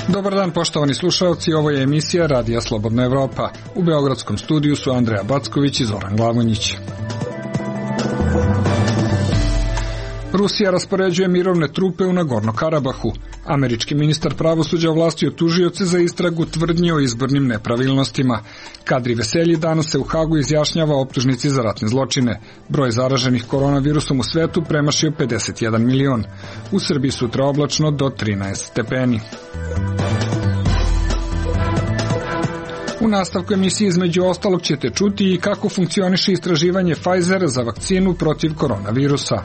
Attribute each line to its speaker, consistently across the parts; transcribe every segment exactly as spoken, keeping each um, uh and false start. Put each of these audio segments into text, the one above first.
Speaker 1: Dobar dan, poštovani slušalci, ovo je emisija Radija Slobodna Evropa. U beogradskom studiju su Andreja Backović i Zoran Glavonjić. Rusija raspoređuje mirovne trupe u Nagorno Karabahu. Američki ministar pravosuđa ovlastio tužioce za istragu tvrdnji o izbornim nepravilnostima. Kadri Veselji danas se u Hagu izjašnjava o optužnici za ratne zločine. Broj zaraženih koronavirusom u svetu premašio pedeset jedan milion. U Srbiji sutra oblačno do trinaest stepeni. U nastavku emisije između ostalog ćete čuti i kako funkcioniše istraživanje Pfizera za vakcinu protiv koronavirusa.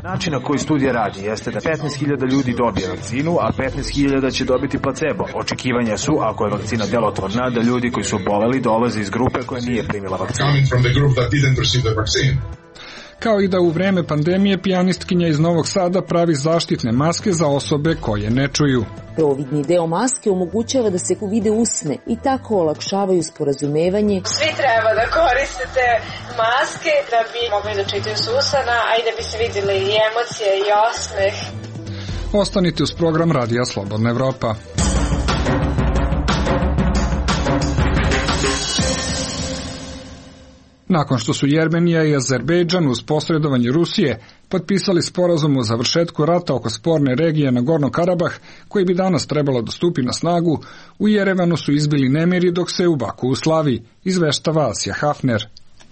Speaker 2: Način na koji studija radi jeste da petnaest hiljada ljudi dobije vakcinu, a petnaest hiljada će dobiti placebo. Očekivanja su, ako je vakcina delotvorna, da ljudi koji su oboleli dolaze iz grupe koja nije primila vakcinu.
Speaker 1: Kao i da u vreme pandemije pijanistkinja iz Novog Sada pravi zaštitne maske za osobe koje ne čuju.
Speaker 3: Providni deo maske omogućava da se vide usne i tako olakšavaju sporazumevanje.
Speaker 4: Svi treba da koristite maske da bi mogli da čitaju s usana, a i da bi se vidjeli i emocije i osmeh.
Speaker 1: Ostanite uz program Radija Slobodna Evropa. Nakon što su Jermenija i Azerbejdžan uz posredovanje Rusije potpisali sporazum o završetku rata oko sporne regije Nagorno Karabah, koji bi danas trebalo da stupi na snagu, u Jerevanu su izbili nemiri dok se u Baku slavi, izveštava Asija Hafner.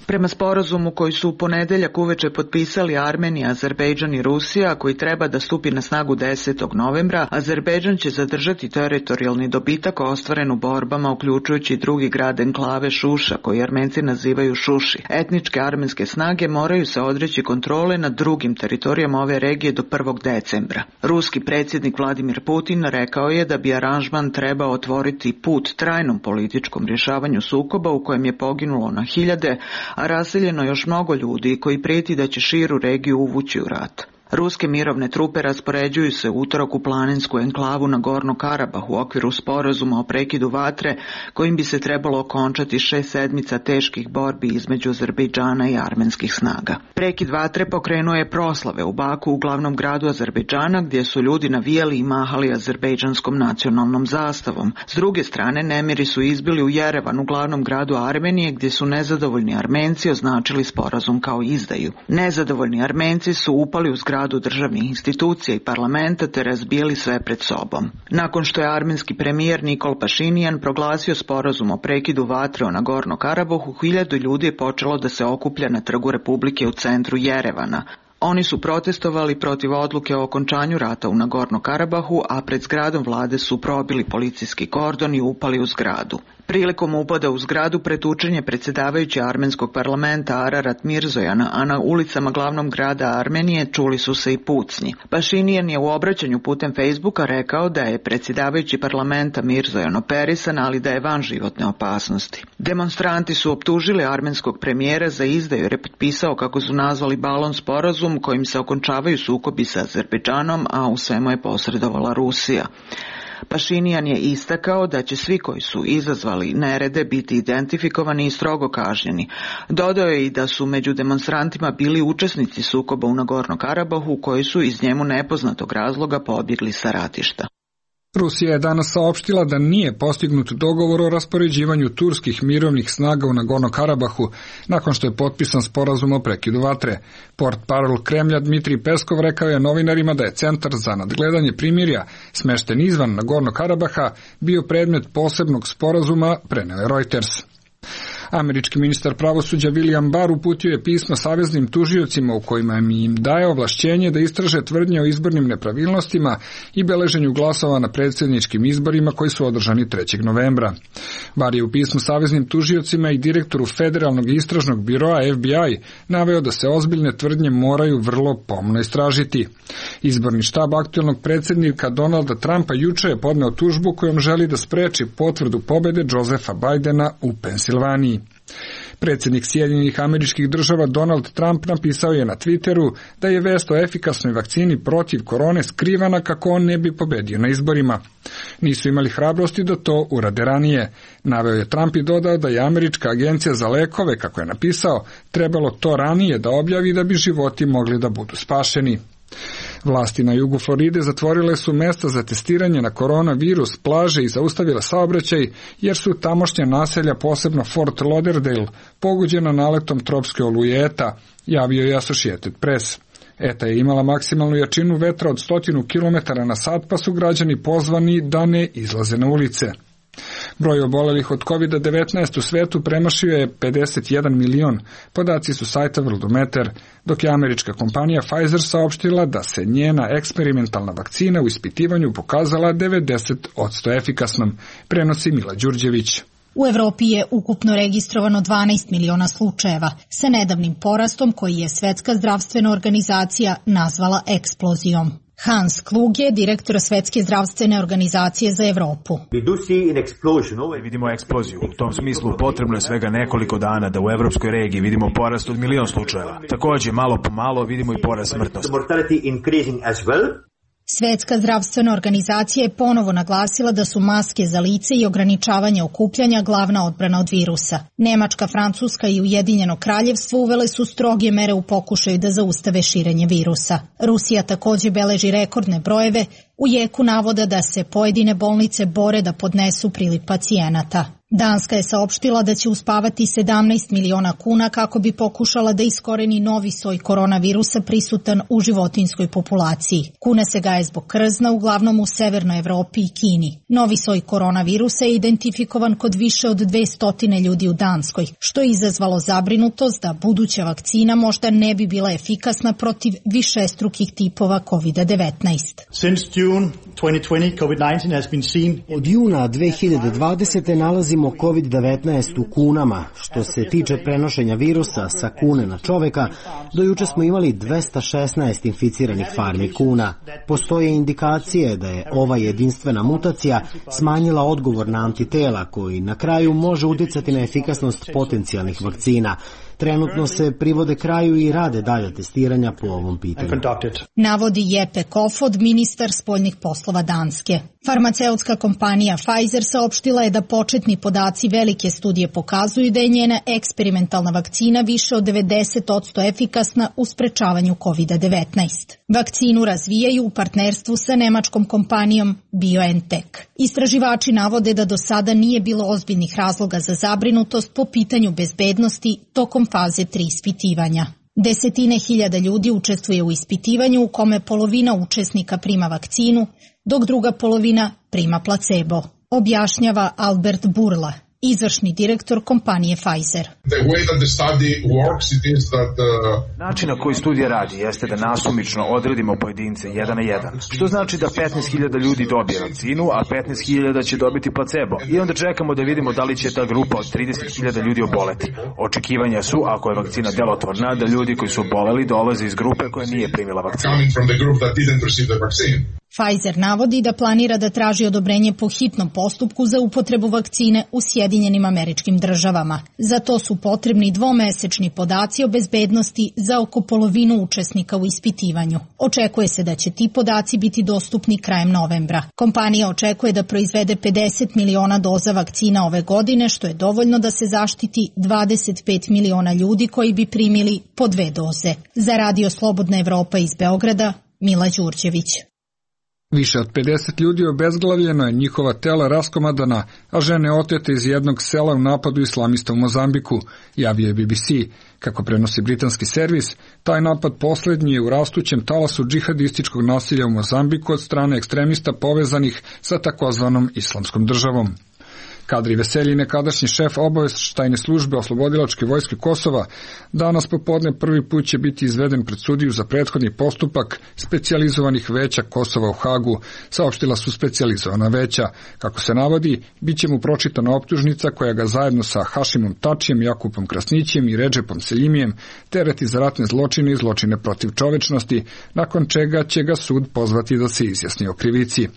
Speaker 5: Prema sporazumu koji su u ponedeljak uveče potpisali Armenija, Azerbejdžan i Rusija, koji treba da stupi na snagu desetog novembra, Azerbejdžan će zadržati teritorijalni dobitak ostvaren u borbama, uključujući drugi grad enklave Šuša, koji Armenci nazivaju Šuši. Etničke armenske snage moraju se odreći kontrole nad drugim teritorijama ove regije do prvog decembra. Ruski predsjednik Vladimir Putin rekao je da bi aranžman trebao otvoriti put trajnom političkom rješavanju sukoba u kojem je poginulo na hiljade, a raseljeno još mnogo ljudi koji prijeti da će širu regiju uvući u rat. Ruske mirovne trupe raspoređuju se u utorak u planinsku enklavu Nagorno Karabah u okviru sporazuma o prekidu vatre, kojim bi se trebalo okončati šest sedmica teških borbi između Azerbejdžana i armenskih snaga. Prekid vatre pokrenuo je proslave u Baku, u glavnom gradu Azerbejdžana, gdje su ljudi navijali i mahali azerbejdžanskom nacionalnom zastavom. S druge strane, nemiri su izbili u Jerevanu, glavnom gradu Armenije, gdje su nezadovoljni Armenci označili sporazum kao izdaju. Nezadovoljni Armenci su upali u zgradu državnih institucija i parlamenta te razbijali sve pred sobom. Nakon što je armenski premijer Nikol Pašinjan proglasio sporazum o prekidu vatre o Nagorno Karabahu, hiljadu ljudi je počelo da se okuplja na Trgu Republike u centru Jerevana. Oni su protestovali protiv odluke o okončanju rata u Nagorno Karabahu, a pred zgradom vlade su probili policijski kordon i upali u zgradu. Prilikom upada u zgradu pretučen je predsjedavajući armenskog parlamenta Ararat Mirzojan, a na ulicama glavnog grada Armenije čuli su se i pucnji. Pašinjan je u obraćanju putem Facebooka rekao da je predsjedavajući parlamenta Mirzojan operisan, ali da je van životne opasnosti. Demonstranti su optužili armenskog premijera za izdaju jer je potpisao, kako su nazvali, balon sporazum kojim se okončavaju sukobi sa Azerbejdžanom, a u svemu je posredovala Rusija. Pašinjan je istakao da će svi koji su izazvali nerede biti identifikovani i strogo kažnjeni. Dodao je i da su među demonstrantima bili učesnici sukoba u Nagorno Karabahu koji su iz njemu nepoznatog razloga pobjegli sa ratišta.
Speaker 1: Rusija je danas saopštila da nije postignut dogovor o raspoređivanju turskih mirovnih snaga u Nagorno Karabahu nakon što je potpisan sporazum o prekidu vatre. Portparol Kremlja Dmitrij Peskov rekao je novinarima da je Centar za nadgledanje primirja, smešten izvan Nagorno Karabaha, bio predmet posebnog sporazuma, preneo je Reuters. Američki ministar pravosuđa William Barr uputio je pismo saveznim tužiocima u kojima im daje ovlašćenje da istraže tvrdnje o izbornim nepravilnostima i beleženju glasova na predsjedničkim izborima koji su održani trećeg novembra. Barr je u pismu saveznim tužiocima i direktoru Federalnog istražnog biroa F B I naveo da se ozbiljne tvrdnje moraju vrlo pomno istražiti. Izborni štab aktuelnog predsjednika Donalda Trumpa juče je podneo tužbu kojom želi da spreči potvrdu pobjede Josepha Bidena u Pensilvaniji. Predsjednik Sjedinjenih Američkih Država Donald Trump napisao je na Twitteru da je vest o efikasnoj vakcini protiv korone skrivana kako on ne bi pobedio na izborima. Nisu imali hrabrosti da to urade ranije. Naveo je Trump i dodao da je Američka agencija za lekove, kako je napisao, trebalo to ranije da objavi da bi životi mogli da budu spašeni. Vlasti na jugu Floride zatvorile su mesta za testiranje na koronavirus, plaže i zaustavile saobraćaj, jer su tamošnja naselja, posebno Fort Lauderdale, pogođena naletom tropske oluje Eta, javio je Associated Press. Eta je imala maksimalnu jačinu vetra od stotinu kilometara na sat, pa su građani pozvani da ne izlaze na ulice. Broj obolelih od kovid devetnaest u svetu premašio je pedeset jedan milion, podaci su sajta Worldometer, dok je američka kompanija Pfizer saopštila da se njena eksperimentalna vakcina u ispitivanju pokazala devedeset posto efikasnom, prenosi Mila Đurđević.
Speaker 6: U Evropi je ukupno registrovano dvanaest miliona slučajeva, sa nedavnim porastom koji je Svetska zdravstvena organizacija nazvala eksplozijom. Hans Kluge, direktor Svetske zdravstvene organizacije za Evropu.
Speaker 2: Vidimo eksploziju. U tom smislu potrebno je svega nekoliko dana da u evropskoj regiji vidimo porast od milion slučajeva. Također, malo po malo vidimo i porast smrtnosti.
Speaker 6: Svetska zdravstvena organizacija je ponovo naglasila da su maske za lice i ograničavanje okupljanja glavna odbrana od virusa. Nemačka, Francuska i Ujedinjeno kraljevstvo uvele su stroge mere u pokušaju da zaustave širenje virusa. Rusija također beleži rekordne brojeve u jeku navoda da se pojedine bolnice bore da podnesu priliv pacijenata. Danska je saopštila da će uspavati sedamnaest miliona kuna kako bi pokušala da iskoreni novi soj koronavirusa prisutan u životinjskoj populaciji. Kuna se gaje zbog krzna, uglavnom u Severnoj Evropi i Kini. Novi soj koronavirusa je identifikovan kod više od dvesta ljudi u Danskoj, što je izazvalo zabrinutost da buduća vakcina možda ne bi bila efikasna protiv višestrukih tipova kovid devetnaest.
Speaker 7: Od juna dve hiljade dvadesete nalazimo kovid devetnaest u kunama. Što se tiče prenošenja virusa sa kune na čoveka, do juče smo imali dvesta šesnaest inficiranih farmi kuna. Postoje indikacije da je ova jedinstvena mutacija smanjila odgovor na antitela koji na kraju može uticati na efikasnost potencijalnih vakcina. Trenutno se privode kraju i rade dalje testiranja po ovom pitanju.
Speaker 6: Navodi Jeppe Kofod, ministar spoljnih poslova Danske. Farmaceutska kompanija Pfizer saopštila je da početni podaci velike studije pokazuju da je njena eksperimentalna vakcina više od devedeset posto efikasna u sprečavanju kovid devetnaest. Vakcinu razvijaju u partnerstvu sa nemačkom kompanijom BioNTech. Istraživači navode da do sada nije bilo ozbiljnih razloga za zabrinutost po pitanju bezbednosti tokom faze tri ispitivanja. Desetine hiljada ljudi učestvuje u ispitivanju u kome polovina učesnika prima vakcinu, dok druga polovina prima placebo, objašnjava Albert Burla, izvršni direktor kompanije Pfizer.
Speaker 2: Način na koji studija radi jeste da nasumično odredimo pojedince jedan na jedan, što znači da petnaest hiljada ljudi dobije vakcinu, a petnaest hiljada će dobiti placebo. I onda čekamo da vidimo da li će ta grupa od trideset hiljada ljudi oboleti. Očekivanja su, ako je vakcina delotvorna, da ljudi koji su oboleli dolaze iz grupe koja nije primila vakcinu.
Speaker 6: Pfizer navodi da planira da traži odobrenje po hitnom postupku za upotrebu vakcine u Sjedinjenim Američkim Državama. Za to su potrebni dvomesečni podaci o bezbednosti za oko polovinu učesnika u ispitivanju. Očekuje se da će ti podaci biti dostupni krajem novembra. Kompanija očekuje da proizvede pedeset miliona doza vakcina ove godine, što je dovoljno da se zaštiti dvadeset pet miliona ljudi koji bi primili po dve doze. Za Radio Slobodna Evropa iz Beograda, Mila Đurđević.
Speaker 1: Više od pedeset ljudi obezglavljeno je, njihova tela raskomadana, a žene otete iz jednog sela u napadu islamista u Mozambiku, javio je B B C. Kako prenosi britanski servis, taj napad posljednji je u rastućem talasu džihadističkog nasilja u Mozambiku od strane ekstremista povezanih sa takozvanom islamskom državom. Kadri Veselji, nekadašnji šef obavještajne službe Oslobodilačke vojske Kosova, danas popodne prvi put će biti izveden pred sudiju za prethodni postupak specijalizovanih veća Kosova u Hagu, saopštila su specijalizovana veća. Kako se navodi, bit će mu pročitana optužnica koja ga zajedno sa Hašimom Tačijem, Jakupom Krasnićem i Redžepom Seljimijem tereti za ratne zločine i zločine protiv čovečnosti, nakon čega će ga sud pozvati da se izjasni o krivici.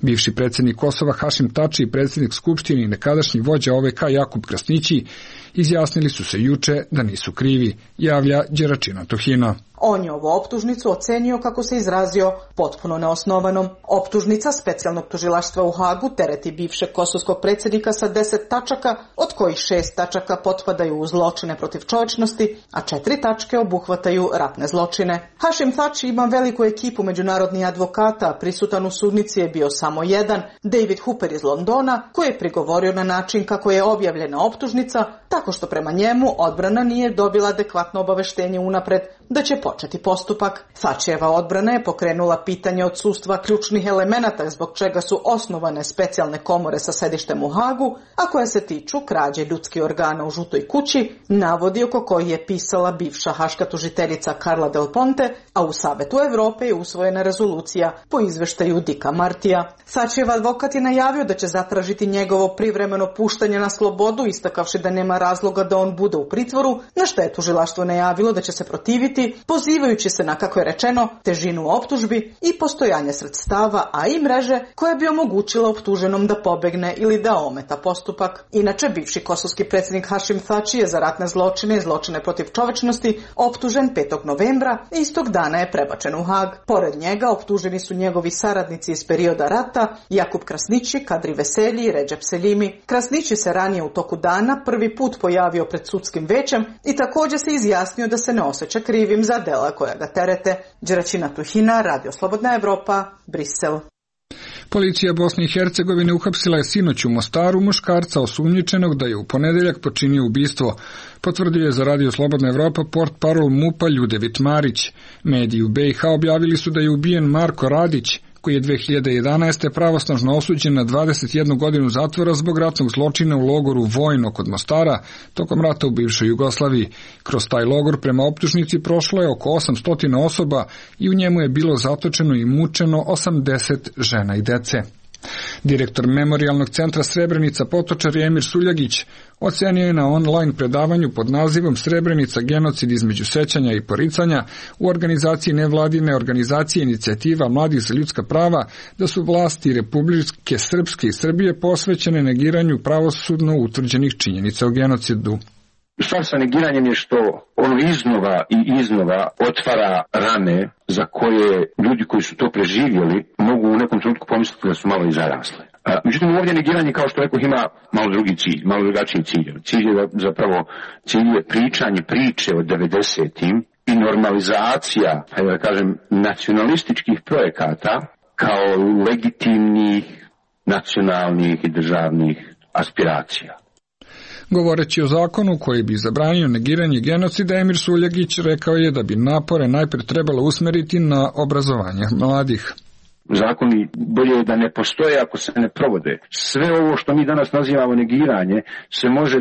Speaker 1: Bivši predsjednik Kosova Hašim Tači i predsjednik Skupštine i nekadašnji vođa O V K Jakub Krasnići izjasnili su se juče da nisu krivi, javlja Đeračina Tohina.
Speaker 5: On je ovu optužnicu ocenio, kako se izrazio, potpuno neosnovanom. Optužnica specijalnog tužilaštva u Hagu tereti bivšeg kosovskog predsjednika sa deset tačaka, od kojih šest tačaka potpadaju u zločine protiv čovječnosti, a četiri tačke obuhvataju ratne zločine. Hašim Thači ima veliku ekipu međunarodnih advokata, prisutan u sudnici je bio samo jedan, David Hooper iz Londona, koji je prigovorio na način kako je objavljena optužnica, tako što prema njemu odbrana nije dobila adekvatno obaveštenje unapred da će početi postupak. Thačijeva odbrana je pokrenula pitanje odsustva ključnih elemenata zbog čega su osnovane specijalne komore sa sedištem u Hagu, a koje se tiču krađe ljudskih organa u Žutoj kući, navodi oko kojih je pisala bivša haška tužiteljica Carla Del Ponte, a u Savetu Evrope je usvojena rezolucija po izveštaju Dicka Martija. Thačijev advokat je najavio da će zatražiti njegovo privremeno puštanje na slobodu, istakavši da nema razloga da on bude u pritvoru, na što je tužilaštvo najavilo da će se protiviti, pozivajući se na, kako je rečeno, težinu optužbi i postojanje sredstava, a i mreže koja bi omogućila optuženom da pobegne ili da ometa postupak. Inače, bivši kosovski predsjednik Hašim Thači je za ratne zločine i zločine protiv čovječnosti optužen petog novembra i istog dana je prebačen u Hag. Pored njega optuženi su njegovi saradnici iz perioda rata, Jakub Krasnići, Kadri Veselji i Redžep Seljimi. Krasnići se ranije u toku dana prvi put pojavio pred sudskim većem i također se izjasnio da se ne osjeća krivim za dela koja ga terete. Đeračina Tuhina, Radio Slobodna Evropa, Brisel.
Speaker 1: Policija Bosne i Hercegovine uhapsila je sinoć u Mostaru muškarca osumnjičenog da je u ponedeljak počinio ubistvo. Potvrdio je za Radio Slobodna Evropa portparol MUP-a Ljudevit Marić. Mediji u B i H objavili su da je ubijen Marko Radić, koji je dve hiljade jedanaeste. pravosnažno osuđen na dvadeset jednu godinu zatvora zbog ratnog zločina u logoru Vojno kod Mostara tokom rata u bivšoj Jugoslaviji. Kroz taj logor prema optužnici prošlo je oko osamsto osoba i u njemu je bilo zatočeno i mučeno osamdeset žena i dece. Direktor Memorijalnog centra Srebrenica Potočar Emir Suljagić ocenio je na online predavanju pod nazivom Srebrenica genocid između sećanja i poricanja u organizaciji nevladine organizacije Inicijativa mladih za ljudska prava da su vlasti Republike Srpske i Srbije posvećene negiranju pravosudno utvrđenih činjenica o genocidu.
Speaker 8: Stvar sa negiranjem je što ono iznova i iznova otvara rane za koje ljudi koji su to preživjeli mogu u nekom trenutku pomisliti da su malo i zarasle. Međutim, ovdje negiranje, kao što rekao, ima malo drugi cilj, malo drugačiji cilj. Cilj je zapravo cilj je pričanje priče o devedesetim i normalizacija, hajde da kažem, nacionalističkih projekata kao legitimnih nacionalnih i državnih aspiracija.
Speaker 1: Govoreći o zakonu koji bi zabranio negiranje genocida, Emir Suljagić rekao je da bi napore najprije trebalo usmeriti na obrazovanje mladih.
Speaker 8: Zakoni bolje je da ne postoje ako se ne provode. Sve ovo što mi danas nazivamo negiranje se može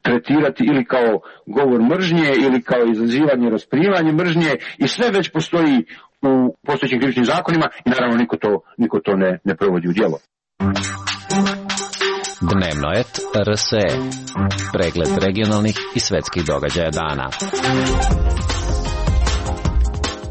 Speaker 8: tretirati ili kao govor mržnje ili kao izazivanje, rasprivanje mržnje i sve već postoji u postojećim krivičnim zakonima i naravno niko to, niko to ne, ne provodi u djelo.
Speaker 9: Dnevnoet R S E. Pregled regionalnih i svetskih događaja dana.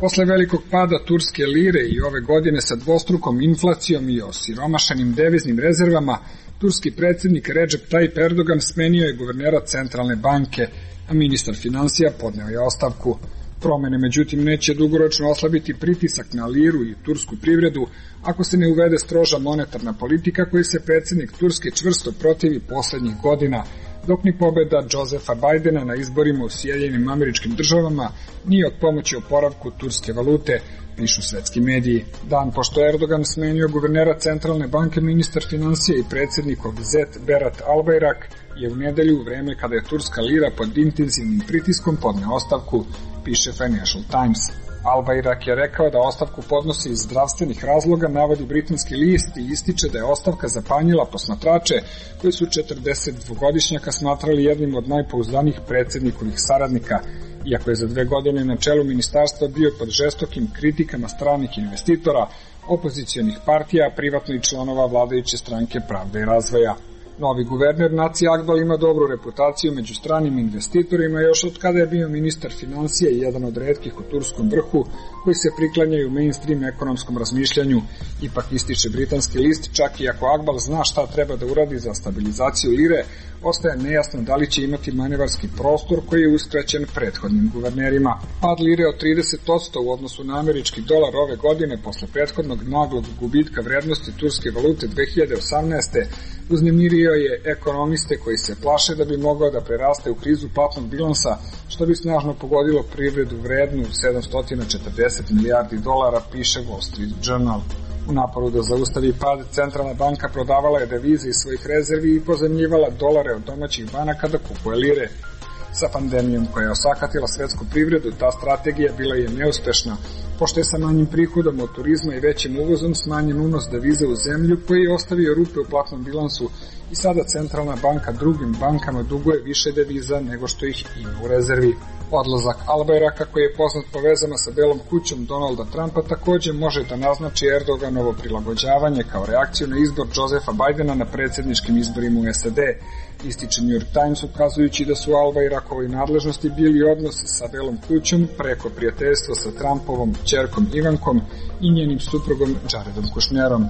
Speaker 1: Posle velikog pada turske lire i ove godine sa dvostrukom inflacijom i osiromašenim deviznim rezervama, turski predsjednik Recep Tayyip Erdogan smenio je guvernera centralne banke, a ministar finansija podneo je ostavku. Promene, međutim, neće dugoročno oslabiti pritisak na liru i tursku privredu ako se ne uvede stroža monetarna politika koji se predsjednik Turske čvrsto protivi poslednjih godina, dok ni pobeda Josefa Bajdena na izborima u Sjedinjenim Američkim Državama nije od pomoći oporavku turske valute, pišu svetski mediji. Dan pošto Erdogan smenio guvernera centralne banke, ministar finansija i predsjednikov zet Berat Albayrak je u nedelju, u vreme kada je turska lira pod intenzivnim pritiskom, podneo ostavku, piše Financial Times. Albayrak je rekao da ostavku podnosi iz zdravstvenih razloga, navodi britanski list, i ističe da je ostavka zapanjila posmatrače koji su četrdesetdvogodišnjaka smatrali jednim od najpouzdanijih predsjednikovih saradnika, iako je za dve godine na čelu ministarstva bio pod žestokim kritikama stranih investitora, opozicionih partija, privatno i članova vladajuće stranke Pravde i razvoja. Novi guverner Naci Agdal ima dobru reputaciju među stranim investitorima još od kada je bio ministar financija i jedan od retkih u turskom vrhu koji se priklanjaju mainstream ekonomskom razmišljanju. Ipak ističe britanski list, čak i ako Agdal zna šta treba da uradi za stabilizaciju lire, ostaje nejasno da li će imati manevarski prostor koji je uskraćen prethodnim guvernerima. Pad lire od trideset posto u odnosu na američki dolar ove godine posle prethodnog naglog gubitka vrednosti turske valute dve hiljade osamnaeste. uznemirio je ekonomiste koji se plaše da bi mogao da preraste u krizu platnog bilansa, što bi snažno pogodilo privredu vrednu sedamsto četrdeset milijardi dolara, piše Wall Street Journal. U naporu da zaustavi pad, centralna banka prodavala je devize iz svojih rezervi i pozemljivala dolare od domaćih banaka da kupuje lire. Sa pandemijom koja je osakatila svetsku privredu, ta strategija bila je neuspešna, pošto je sa manjim prihodom od turizma i većim uvozom smanjen unos devize u zemlju koji je ostavio rupe u platnom bilansu i sada centralna banka drugim bankama duguje više deviza nego što ih ima u rezervi. Odlazak Albayraka, koji je poznat po vezama sa Belom kućom Donalda Trumpa, takođe može da naznači Erdoganovo prilagođavanje kao reakciju na izbor Josefa Bajdena na predsjedničkim izborima u S A D. Ističe New York Times, ukazujući da su Albayrakovoj nadležnosti bili odnosi sa Belom kućom preko prijateljstva sa Trumpovom ćerkom Ivankom i njenim suprugom Jaredom Kushnerom.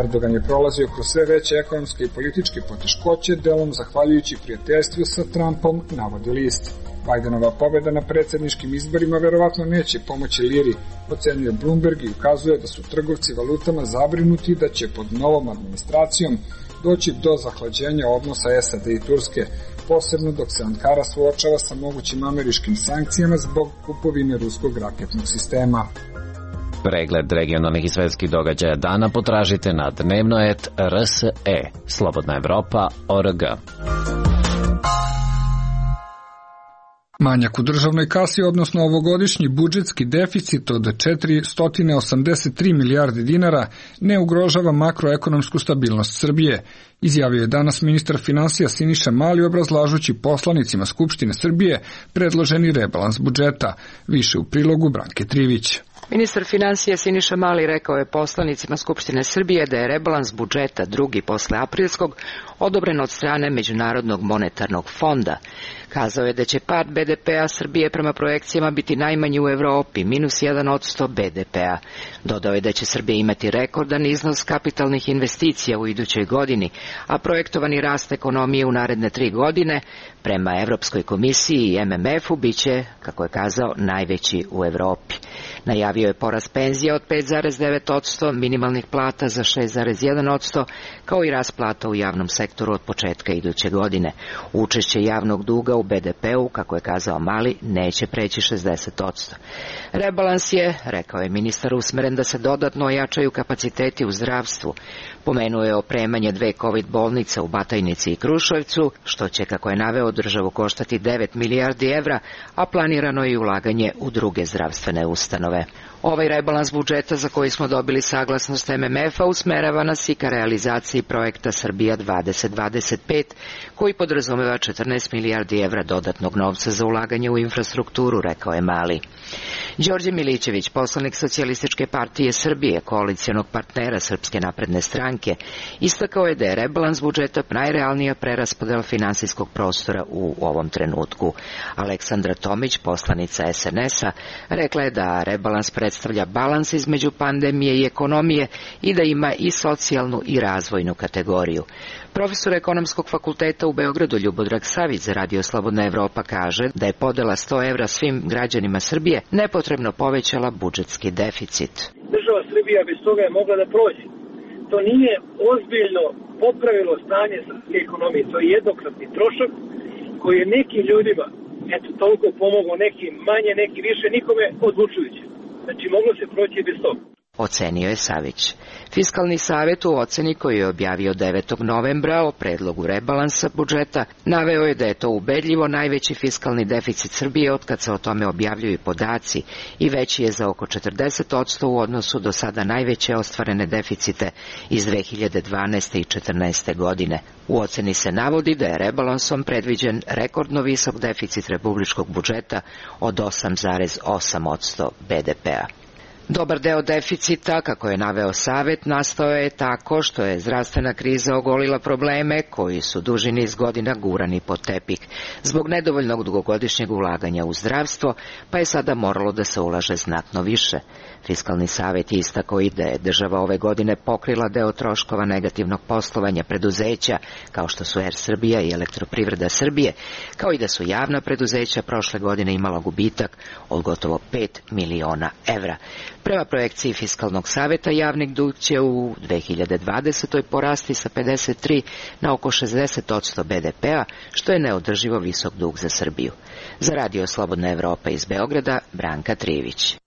Speaker 1: Erdogan je prolazio kroz sve veće ekonomske i političke poteškoće, delom zahvaljujući prijateljstvu sa Trumpom, navodi list. Bajdenova pobeda na predsjedničkim izborima verovatno neće pomoći liri, ocenjuje Bloomberg i ukazuje da su trgovci valutama zabrinuti da će pod novom administracijom doći do zahlađenja odnosa S A D i Turske, posebno dok se Ankara suočava sa mogućim američkim sankcijama zbog kupovine ruskog raketnog sistema.
Speaker 9: Pregled regionalnih i svetskih događaja dana potražite na dnevnoet R S E, Slobodna Evropa, O R G.
Speaker 1: Manjak u državnoj kasi, odnosno ovogodišnji budžetski deficit od četiristo osamdeset tri milijarde dinara, ne ugrožava makroekonomsku stabilnost Srbije, izjavio je danas ministar finansija Siniša Mali obrazlažući poslanicima Skupštine Srbije predloženi rebalans budžeta. Više u prilogu Branke Trivić.
Speaker 10: Ministar finansija Siniša Mali rekao je poslanicima Skupštine Srbije da je rebalans budžeta drugi posle aprilskog odobren od strane Međunarodnog monetarnog fonda. Kazao je da će pad B D P-a Srbije prema projekcijama biti najmanji u Evropi, minus jedan posto B D P-a. Dodao je da će Srbija imati rekordan iznos kapitalnih investicija u idućoj godini, a projektovani rast ekonomije u naredne tri godine prema Evropskoj komisiji i M M F-u biće, kako je kazao, najveći u Evropi. Najavio je porast penzija od pet zarez devet posto, minimalnih plata za šest zarez jedan posto, kao i rast plata u javnom sektoru od početka iduće godine. Učešće javnog duga u B D P-u, kako je kazao Mali, neće preći šezdeset posto. Rebalans je, rekao je ministar, usmeren da se dodatno ojačaju kapaciteti u zdravstvu. Pomenuo je opremanje dve COVID bolnice u Batajnici i Kruševcu, što će, kako je naveo, državu koštati devet milijardi evra, a planirano je i ulaganje u druge zdravstvene ustanove. Ovaj rebalans budžeta, za koji smo dobili saglasnost M M F-a, usmerava nas i ka realizaciji projekta Srbija dvadeset dvadeset pet, koji podrazumeva četrnaest milijardi evra dodatnog novca za ulaganje u infrastrukturu, rekao je Mali. Đorđe Milićević, poslanik Socijalističke partije Srbije, koalicijonog partnera Srpske napredne stranke, istakao je da je rebalans budžeta najrealnija preraspodela finansijskog prostora u ovom trenutku. Aleksandra Tomić, poslanica S N S-a, rekla je da rebalans predstavlja balans između pandemije i ekonomije i da ima i socijalnu i razvojnu kategoriju. Profesor ekonomskog fakulteta u Beogradu Ljubodrag Savić za Radio Slobodna Evropa kaže da je podela sto evra svim građanima Srbije nepotrebno povećala budžetski deficit.
Speaker 11: Država Srbija bez toga je mogla da prođe. To nije ozbiljno popravilo stanje srpske ekonomije. To je jednokratni trošak koji je nekim ljudima, eto, toliko pomogao, neki manje, neki više, nikome odlučujuće. Znači, moglo se proći bez toga.
Speaker 10: Ocenio je Savić. Fiskalni savjet u oceni koju je objavio devetog novembra o predlogu rebalansa budžeta naveo je da je to ubedljivo najveći fiskalni deficit Srbije otkad se o tome objavljuju podaci i veći je za oko četrdeset posto u odnosu do sada najveće ostvarene deficite iz dve hiljade dvanaeste i četrnaeste godine. U oceni se navodi da je rebalansom predviđen rekordno visok deficit republičkog budžeta od osam zarez osam posto B D P-a. Dobar deo deficita, kako je naveo Savet, nastao je tako što je zdravstvena kriza ogolila probleme koji su duži niz godina gurani pod tepih. Zbog nedovoljnog dugogodišnjeg ulaganja u zdravstvo, pa je sada moralo da se ulaže znatno više. Fiskalni savet je istakao i da je država ove godine pokrila deo troškova negativnog poslovanja preduzeća, kao što su Er Srbija i Elektroprivreda Srbije, kao i da su javna preduzeća prošle godine imala gubitak od gotovo pet miliona evra. Prema projekciji Fiskalnog saveta, javni dug će u dve hiljade dvadesetoj porasti sa pedeset tri na oko šezdeset odsto be de pe a, što je neodrživo visok dug za Srbiju. Za Radio Slobodna Evropa iz Beograda, Branka Trivić.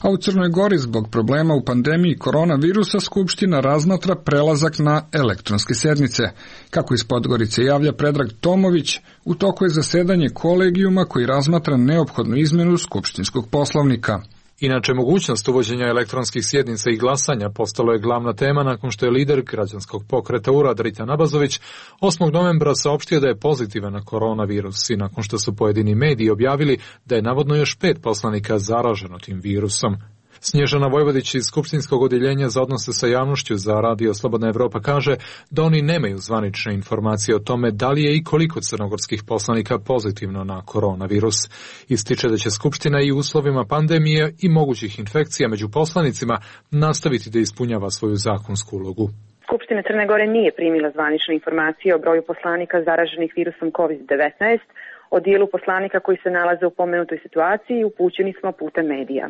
Speaker 1: A u Crnoj Gori zbog problema u pandemiji koronavirusa Skupština razmatra prelazak na elektronske sednice. Kako iz Podgorice javlja Predrag Tomović, u toku je zasedanje kolegijuma koji razmatra neophodnu izmenu Skupštinskog poslovnika.
Speaker 12: Inače, mogućnost uvođenja elektronskih sjednica i glasanja postalo je glavna tema nakon što je lider građanskog pokreta Urad Rita Nabazović osmog novembra saopštio da je pozitivan na koronavirus i nakon što su pojedini mediji objavili da je navodno još pet poslanika zaraženo tim virusom. Snježana Vojvodić iz Skupštinskog odjeljenja za odnose sa javnošću za Radio Slobodna Evropa kaže da oni nemaju zvanične informacije o tome da li je i koliko crnogorskih poslanika pozitivno na koronavirus. Ističe da će Skupština i u uslovima pandemije i mogućih infekcija među poslanicima nastaviti da ispunjava svoju zakonsku ulogu.
Speaker 13: Skupština Crne Gore nije primila zvanične informacije o broju poslanika zaraženih virusom kovid devetnaest. O dijelu poslanika koji se nalaze u pomenutoj situaciji upućeni smo putem medija.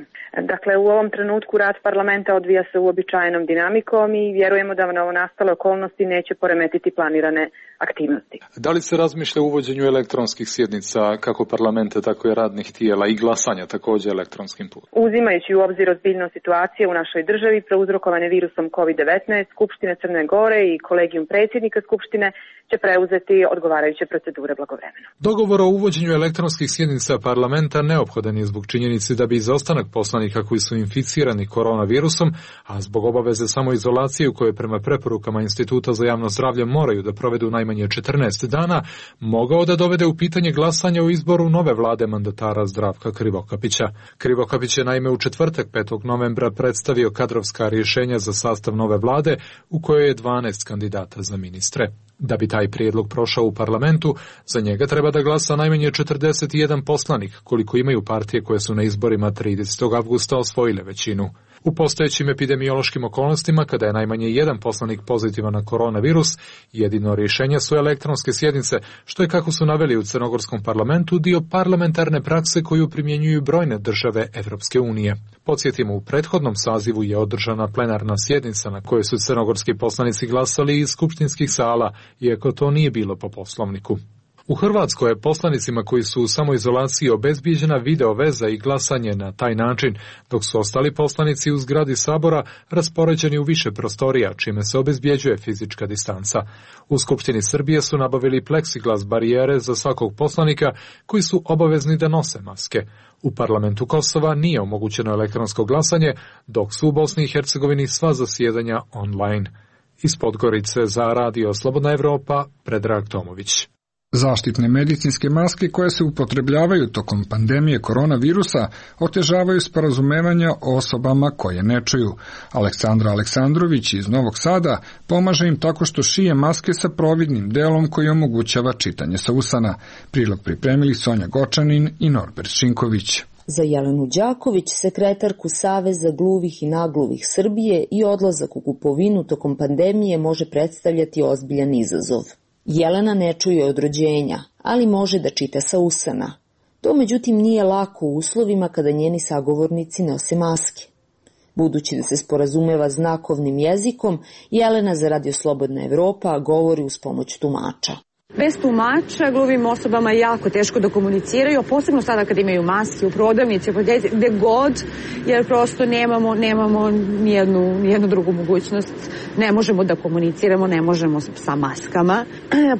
Speaker 13: Dakle, u ovom trenutku rad parlamenta odvija se uobičajenom dinamikom i vjerujemo da novonastale okolnosti neće poremetiti planirane aktivnosti.
Speaker 12: Da li se razmišlja o uvođenju elektronskih sjednica kako parlamenta, tako i radnih tijela i glasanja također elektronskim putem?
Speaker 13: Uzimajući u obzir ozbiljnost situacije u našoj državi prouzrokovane virusom kovid devetnaest, Skupštine Crne Gore i kolegijum predsjednika Skupštine će preuzeti odgovarajuće procedure blagovremeno.
Speaker 12: Dogovor o uvođenju elektronskih sjednica parlamenta neophodan je zbog činjenice da bi izostanak poslanika koji su inficirani koronavirusom, a zbog obaveze samoizolacije u kojoj prema preporukama Instituta za javno zdravlje moraju da provedu najmanje četrnaest dana, mogao da dovede u pitanje glasanje o izboru nove vlade mandatara Zdravka Krivokapića. Krivokapić je naime u četvrtak petog novembra predstavio kadrovska rješenja za sastav nove vlade u kojoj je dvanaest kandidata za ministre. Da bi taj prijedlog prošao u parlamentu, za njega treba da glasa najmanje četrdeset jedan poslanik, koliko imaju partije koje su na izborima tridesetog avgusta osvojile većinu. U postojećim epidemiološkim okolnostima, kada je najmanje jedan poslanik pozitivan na koronavirus, jedino rješenje su elektronske sjednice, što je, kako su naveli u crnogorskom parlamentu, dio parlamentarne prakse koju primjenjuju brojne države Evropske unije. Podsjetimo, u prethodnom sazivu je održana plenarna sjednica na kojoj su crnogorski poslanici glasali iz skupštinskih sala, iako to nije bilo po poslovniku. U Hrvatskoj je poslanicima koji su u samoizolaciji obezbijeđena video veza i glasanje na taj način, dok su ostali poslanici u zgradi Sabora raspoređeni u više prostorija, čime se obezbijeđuje fizička distanca. U Skupštini Srbije su nabavili pleksiglas barijere za svakog poslanika koji su obavezni da nose maske. U parlamentu Kosova nije omogućeno elektronsko glasanje, dok su u Bosni i Hercegovini sva zasjedanja online. Iz Podgorice za Radio Slobodna Evropa, Predrag Tomović.
Speaker 1: Zaštitne medicinske maske koje se upotrebljavaju tokom pandemije koronavirusa otežavaju sporazumevanja o osobama koje ne čuju. Aleksandra Aleksandrović iz Novog Sada pomaže im tako što šije maske sa providnim delom koji omogućava čitanje sa usana. Prilog pripremili Sonja Gočanin i Norbert Šinković.
Speaker 3: Za Jelenu Đaković, sekretarku Saveza gluvih i nagluvih Srbije, i odlazak u kupovinu tokom pandemije može predstavljati ozbiljan izazov. Jelena ne čuje od rođenja, ali može da čita sa usana. To međutim nije lako u uslovima kada njeni sagovornici nose maske. Budući da se sporazumeva znakovnim jezikom, Jelena za Radio Slobodna Evropa govori uz pomoć tumača.
Speaker 14: Bez tumača gluvim osobama je jako teško da komuniciraju, posebno sada kad imaju maske u prodavnici, gde god, jer prosto nemamo, nemamo nijednu, nijednu drugu mogućnost. Ne možemo da komuniciramo, ne možemo sa maskama.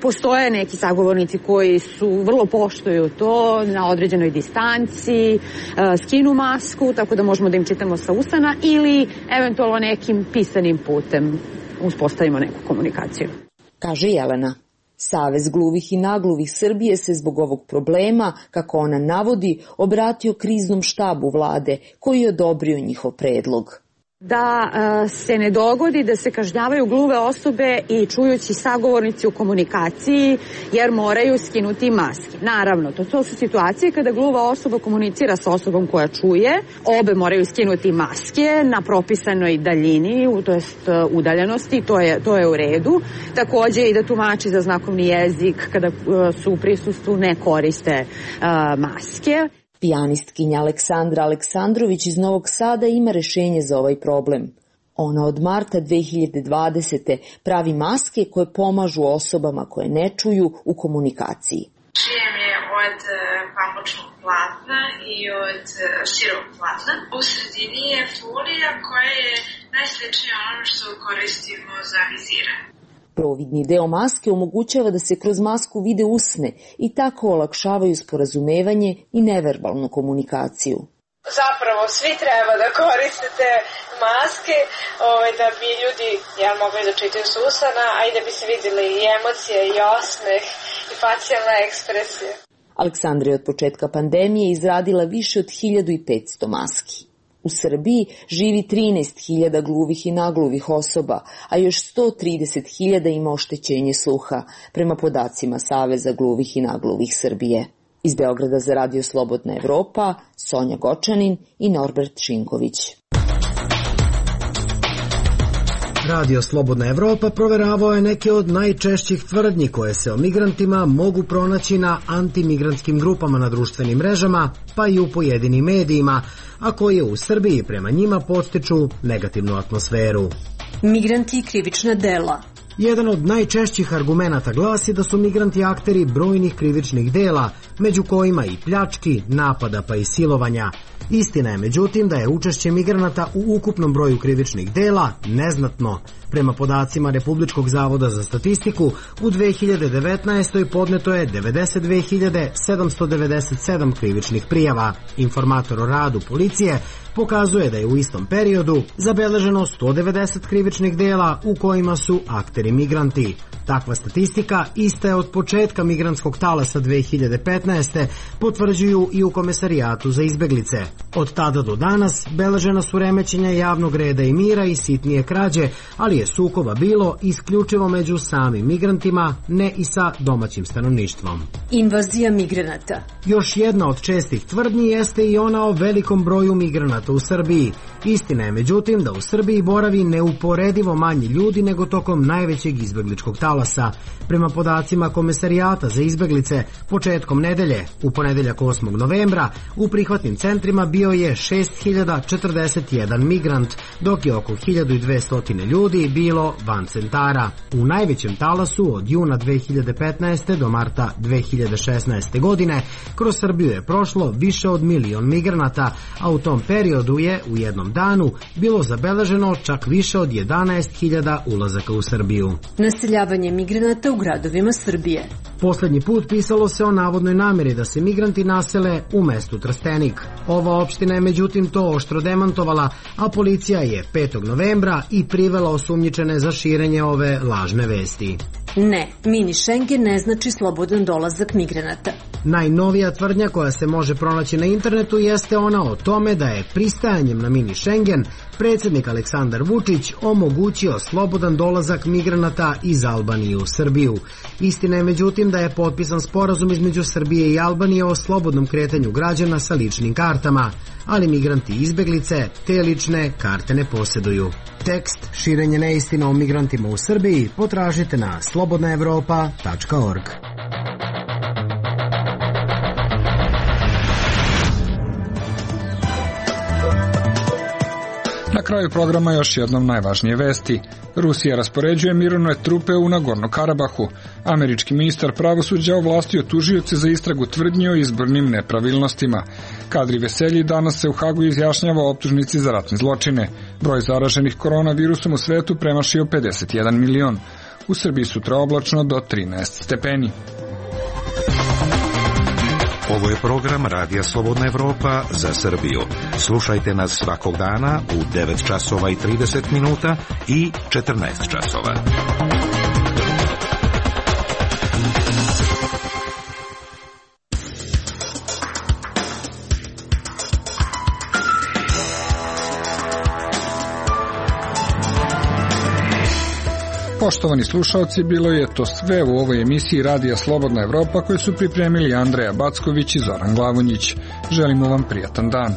Speaker 14: Postoje neki sagovornici koji su vrlo poštuju to na određenoj distanci, skinu masku, tako da možemo da im čitamo sa usana ili eventualno nekim pisanim putem uspostavimo neku komunikaciju.
Speaker 3: Kaže Jelena. Savez gluvih i nagluvih Srbije se zbog ovog problema, kako ona navodi, obratio kriznom štabu vlade koji je odobrio njihov predlog.
Speaker 14: Da uh, se ne dogodi da se kažnjavaju gluve osobe i čujući sagovornici u komunikaciji jer moraju skinuti maske. Naravno, to, to su situacije kada gluva osoba komunicira sa osobom koja čuje, obe moraju skinuti maske na propisanoj daljini, to jest udaljenosti, to je, to je u redu. Takođe i da tumači za znakovni jezik kada uh, su u prisustvu ne koriste uh, maske.
Speaker 3: Pijanistkinja Aleksandra Aleksandrović iz Novog Sada ima rešenje za ovaj problem. Ona od marta dve hiljade dvadesete. pravi maske koje pomažu osobama koje ne čuju u komunikaciji.
Speaker 15: Šijem je od pamučnog platna i od širog platna. U sredini je folija koja je najsličnija ono što koristimo za viziranje.
Speaker 3: Providni deo maske omogućava da se kroz masku vide usne i tako olakšavaju sporazumevanje i neverbalnu komunikaciju.
Speaker 4: Zapravo svi treba da koristite maske ovaj, da bi ljudi ja, mogli da čitaju s usana, a i da bi se vidjeli i emocije, i osmeh, i facijalna ekspresija.
Speaker 3: Aleksandra je od početka pandemije izradila više od hiljadu petsto maski. U Srbiji živi trinaest hiljada gluvih i nagluvih osoba, a još sto trideset hiljada ima oštećenje sluha, prema podacima Saveza gluvih i nagluvih Srbije. Iz Beograda za Radio Slobodna Evropa, Sonja Gočanin i Norbert Šinković.
Speaker 7: Radio Slobodna Evropa proveravao je neke od najčešćih tvrdnji koje se o migrantima mogu pronaći na antimigrantskim grupama na društvenim mrežama, pa i u pojedinim medijima, a koje u Srbiji prema njima podstiču negativnu atmosferu.
Speaker 16: Migranti i krivična dela.
Speaker 7: Jedan od najčešćih argumenata glasi da su migranti akteri brojnih krivičnih dela, među kojima i pljački, napada pa i silovanja. Istina je međutim da je učešće migranata u ukupnom broju krivičnih dela neznatno. Prema podacima Republičkog zavoda za statistiku, u dve hiljade devetnaestoj. podneto je devedeset dve hiljade sedamsto devedeset sedam krivičnih prijava. Informator o radu policije pokazuje da je u istom periodu zabeleženo sto devedeset krivičnih dela u kojima su akteri migranti. Takva statistika ista je od početka migrantskog talasa dve hiljade petnaeste. potvrđuju i u Komesarijatu za izbeglice. Od tada do danas beležena su remećenja javnog reda i mira i sitnije krađe, ali je sukoba bilo isključivo među samim migrantima, ne i sa domaćim stanovništvom.
Speaker 16: Invazija migranata.
Speaker 7: Još jedna od čestih tvrdnji jeste i ona o velikom broju migranata u Srbiji. Istina je međutim da u Srbiji boravi neuporedivo manje ljudi nego tokom najvećeg izbegličkog talasa. Prema podacima Komesarijata za izbeglice, početkom nedelje, u ponedeljak osmog novembra, u prihvatnim centrima bio je šest hiljada četrdeset jedan migrant, dok je oko hiljadu dvesta ljudi bilo van centara. U najvećem talasu od juna dve hiljade petnaeste. do marta dve hiljade šesnaeste. godine kroz Srbiju je prošlo više od milion migranata, a u tom periodu je u jednom danu bilo zabeleženo čak više od jedanaest hiljada ulazaka u Srbiju.
Speaker 16: Naseljavanje migranata u gradovima Srbije.
Speaker 7: Poslednji put pisalo se o navodnoj nameri da se migranti nasele u mestu Trstenik. Ova opština je međutim to oštro demantovala, a policija je petog novembra i privela osumnjičene za širenje ove lažne vesti.
Speaker 16: Ne, mini Schengen ne znači slobodan dolazak migranata.
Speaker 7: Najnovija tvrdnja koja se može pronaći na internetu jeste ona o tome da je pristajanjem na mini Schengen predsjednik Aleksandar Vučić omogućio slobodan dolazak migranata iz Albanije u Srbiju. Istina je međutim da je potpisan sporazum između Srbije i Albanije o slobodnom kretanju građana sa ličnim kartama, ali migranti i izbeglice te lične karte ne posjeduju. Tekst Širenje neistina o migrantima u Srbiji potražite na slobodna evropa tačka org.
Speaker 1: Na kraju programa još jednom najvažnije vesti. Rusija raspoređuje mirovne trupe u Nagorno Karabahu. Američki ministar pravosuđa ovlastio tužioce za istragu tvrdnji o izbornim nepravilnostima. Kadri Veselji danas se u Hagu izjašnjava o optužnici za ratne zločine. Broj zaraženih koronavirusom u svetu premašio pedeset jedan milion. U Srbiji sutra oblačno do trinaest stepeni.
Speaker 17: Ovo je program Radija Slobodna Evropa za Srbiju. Slušajte nas svakog dana u devet časova i trideset minuta i četrnaest časova.
Speaker 1: Poštovani slušalci, bilo je to sve u ovoj emisiji Radija Slobodna Evropa koju su pripremili Andreja Backović i Zoran Glavonjić. Želimo vam prijatan dan.